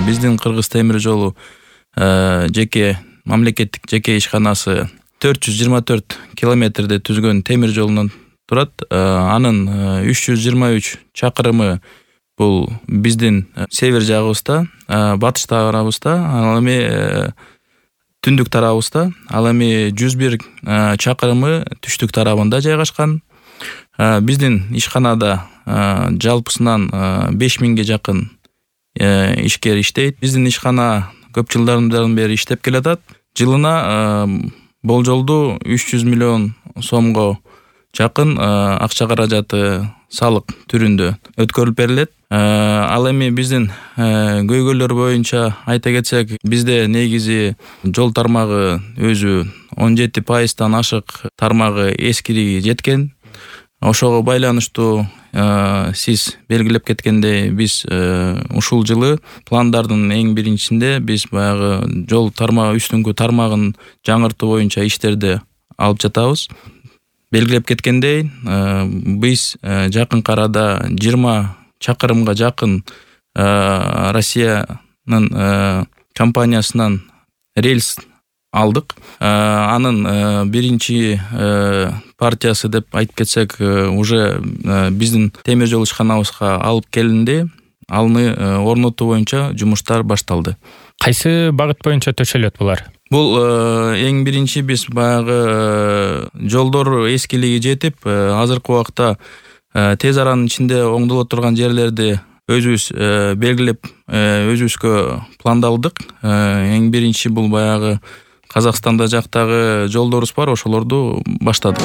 биздин Кыргыз темир жолу жеке мамлекеттик жеке ишканасы 424 километрде түзгөн темир жолунан турат. Анын 323 чакырымы бул биздин север жагыбызда, батыш тарабыбызда, ал эми түндүк тарабыбызда, ал эми 101 чакырымы түштүк тарабында жайгашкан. Биздин ишканада жалпысынан 5000ге жакын ишкер иштейт. Биздин ишкана көп жылдардан бери иштеп келатат. Жылына болжолду 300 миллион сомго жакын акча каражаты салык түрүндө өткөрүлүп берилет. Ал эми биздин көйгөйлөр боюнча айта кетсек, бизде негизи жол тармагы өзү 17% ашык тармагы эскириги жеткен. Ошого байланыштуу сиз белгилеп кеткендей, биз ушул жылы пландардын эң биринчисинде биз баягы жол тармагы үстүңкү тармагын жаңыртуу боюнча иштерди алып жатабыз. Белгилеп кеткендей, биз жакынкы арада 20 чакырымга жакын Россиянын компаниясынан рельс алдык. Анын биринчи партиясы деп айтып кетсек, уже биздин темир жол ишканабызга алып келинди. Аны орнотуу боюнча жумуштар башталды. Кайсы багыт боюнча төшөлөт булар? Бул эң биринчи биз баягы жолдор эскилиги жетип, азыркы убакта тез аранын ичинде оңдоло турган жерлерди өзүбүз белгилеп, өзүбүзгө пландалдык. Эң биринчи бул баягы Казакстанда жактагы жолдорубуз бар, ошолорду баштадык.